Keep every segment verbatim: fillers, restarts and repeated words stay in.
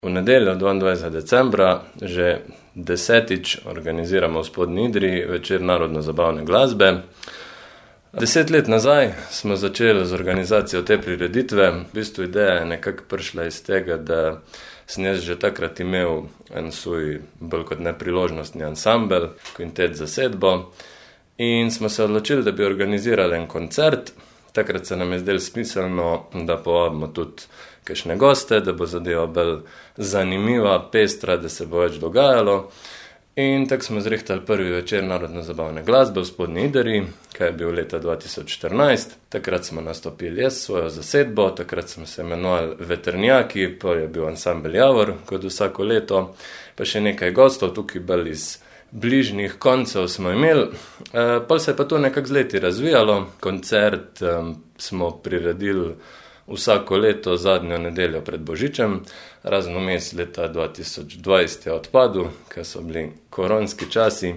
V nedeljo dvaindvajsetega decembra že desetič organiziramo v Spodnji Idriji večer narodno-zabavne glasbe. Deset let nazaj smo začeli z organizacijo te prireditve. V bistvu ideja je nekako prišla iz tega, da sem jaz že takrat imel en svoj bolj kot nepriložnostni ansambel, kvintet zasedbo, in smo se odločili, da bi organizirali en koncert. Takrat se nam je zdelo smiselno, da povabimo tudi kakšne goste, da bo zadeva bolj zanimiva, pestra, da se bo več dogajalo. In tako smo zrihtali prvi večer narodno-zabavne glasbe v Spodnji Idriji, kaj je bil leta dva tisoč štirinajst. Takrat smo nastopili jaz svojo zasedbo, takrat smo se imenovali Vetrnjaki, pa je bil ansambel Javor, kot vsako leto, pa še nekaj gostov, tukaj bolj iz bližnjih koncev smo imeli. E, pol se je pa to nekako z leti razvijalo. Koncert um, smo priredili vsako leto zadnjo nedeljo pred Božičem, razen vmes leta dva tisoč dvajset je odpadel, ker so bili koronski časi.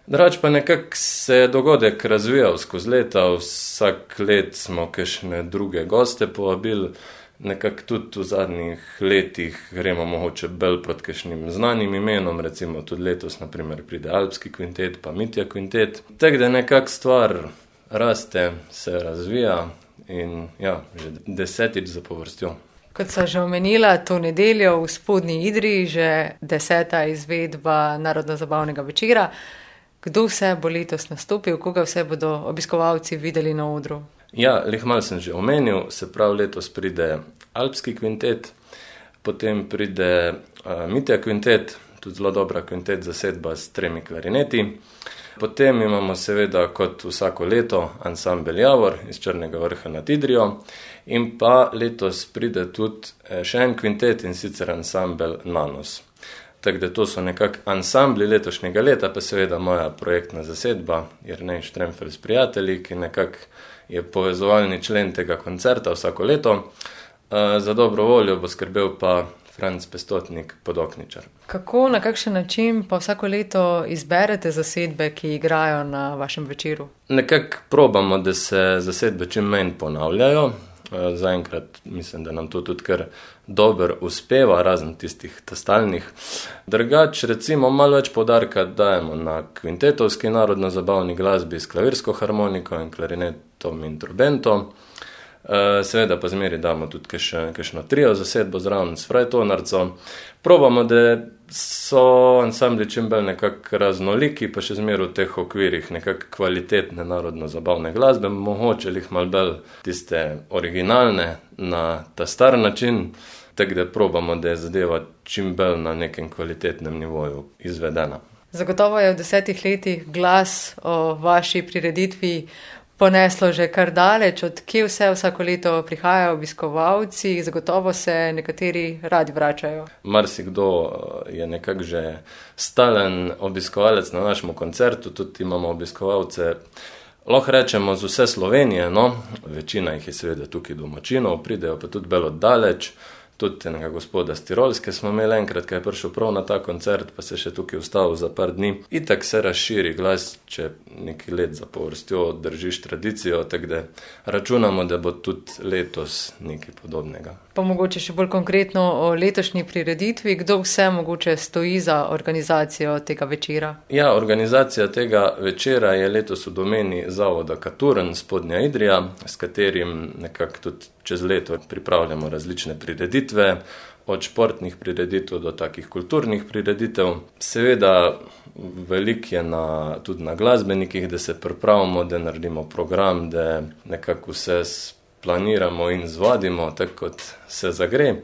Drugače pa nekako se je dogodek razvijal skozi leta, vsak let smo kakšne druge goste povabili, nekako tudi v zadnjih letih gremo mogoče bolj pod kakšnim znanim imenom, recimo tudi letos na primer pride Alpski kvintet pa Mitja kvintet. Tako da nekako stvar raste, se razvija. In ja, že desetič zapovrstjo. Kot sem že omenila, to nedeljo v Spodnji Idriji, že deseta izvedba narodno-zabavnega večera. Kdo vse bo letos nastopil, koga vse bodo obiskovalci videli na odru? Ja, lih malo sem že omenil, se pravi letos pride Alpski kvintet, potem pride uh, Mitja kvintet, tudi zelo dobra kvintet zasedba s tremi klarineti. Potem imamo seveda kot vsako leto ansambel Javor iz Črnega Vrha nad Idrijo in pa letos pride tudi še en kvintet in sicer ansambel Nanos. Tako da to so nekako ansambli letošnjega leta, pa seveda moja projektna zasedba Jernej Štremfelj s prijatelji, ki nekako je povezovalni člen tega koncerta vsako leto. Za dobro voljo bo skrbel pa Franc Pestotnik, Podokničar. Kako, na kakšen način pa vsako leto izberete zasedbe, ki igrajo na vašem večeru? Nekako probamo, da se zasedbe čim manj ponavljajo. Zaenkrat mislim, da nam to tudi kar dobro uspeva, razen tistih stalnih. Drugače, recimo, malo več poudarka dajemo na kvintetovski narodno-zabavni glasbi s klavirsko harmoniko in klarinetom in trubentom. Seveda pa zmeri damo tudi kakšno trio zasedbo zraven s frajtonarco. Probamo, da so ansambli čim bolj nekako raznoliki, pa še zmer v teh okvirih nekako kvalitetne narodno-zabavne glasbe, mogoče jih malo bolj tiste originalne na ta star način, tako da probamo, da je zadeva čim bolj na nekem kvalitetnem nivoju izvedena. Zagotovo je v desetih letih glas o vaši prireditvi poneslo že kar daleč, od kje vse vsako leto prihajajo obiskovalci, zagotovo se nekateri radi vračajo. Marsikdo je nekako že stalen obiskovalec na našem koncertu, tudi imamo obiskovalce, lahko rečemo z vse Slovenije, no, večina jih je seveda tukaj domačinov, pridejo pa tudi bolj oddaleč. Tudi enega gospoda z Tirolske smo imeli enkrat, ki je prišel prav na ta koncert, pa se še tukaj ustavil za par dni. Itak se razširi glas, če nekaj let zapovrstjo držiš tradicijo, tako da računamo, da bo tudi letos nekaj podobnega. Pa mogoče še bolj konkretno o letošnji prireditvi, kdo vse mogoče stoji za organizacijo tega večera? Ja, organizacija tega večera je letos v domeni Zavoda Katurn Spodnja Idrija, s katerim nekako tudi čez leto pripravljamo različne prireditve, od športnih prireditev do takih kulturnih prireditev. Seveda veliko je na, tudi na glasbenikih, da se pripravimo, da naredimo program, da nekako vse planiramo in zvadimo, tako kot se zagre.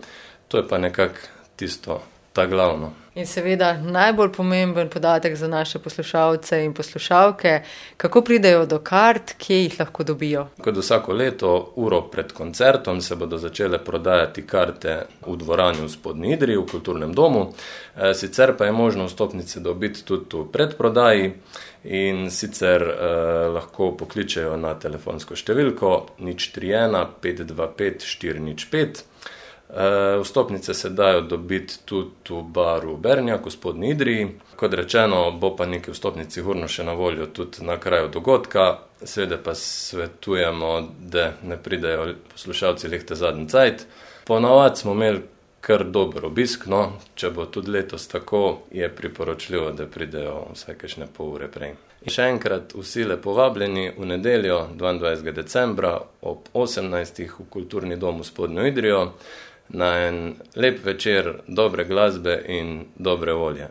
To je pa nekako tisto, ta glavno. In seveda najbolj pomemben podatek za naše poslušalce in poslušalke, kako pridejo do kart, kje jih lahko dobijo? Kot vsako leto, uro pred koncertom, se bodo začele prodajati karte v dvorani v Spodnji Idriji, v kulturnem domu. E, sicer pa je možno vstopnice dobiti tudi v predprodaji in sicer eh, lahko pokličejo na telefonsko številko nič tri ena pet dva pet štiri nič pet. Vstopnice se dajo dobiti tudi v baru Bernjak v Spodnji Idriji. Kot rečeno, bo pa nekaj vstopnic sigurno še na voljo tudi na kraju dogodka. Seveda pa svetujemo, da ne pridejo poslušalci lehte zadnji cajt. Ponavadi smo imeli kar dober obisk, no, če bo tudi letos tako, je priporočljivo, da pridejo vsaj kakšne pol ure prej. In še enkrat vsi lepo vabljeni v nedeljo, dvaindvajsetega decembra ob osemnajstih v Kulturni dom v Spodnjo Idrijo na en lep večer dobre glasbe in dobre volje.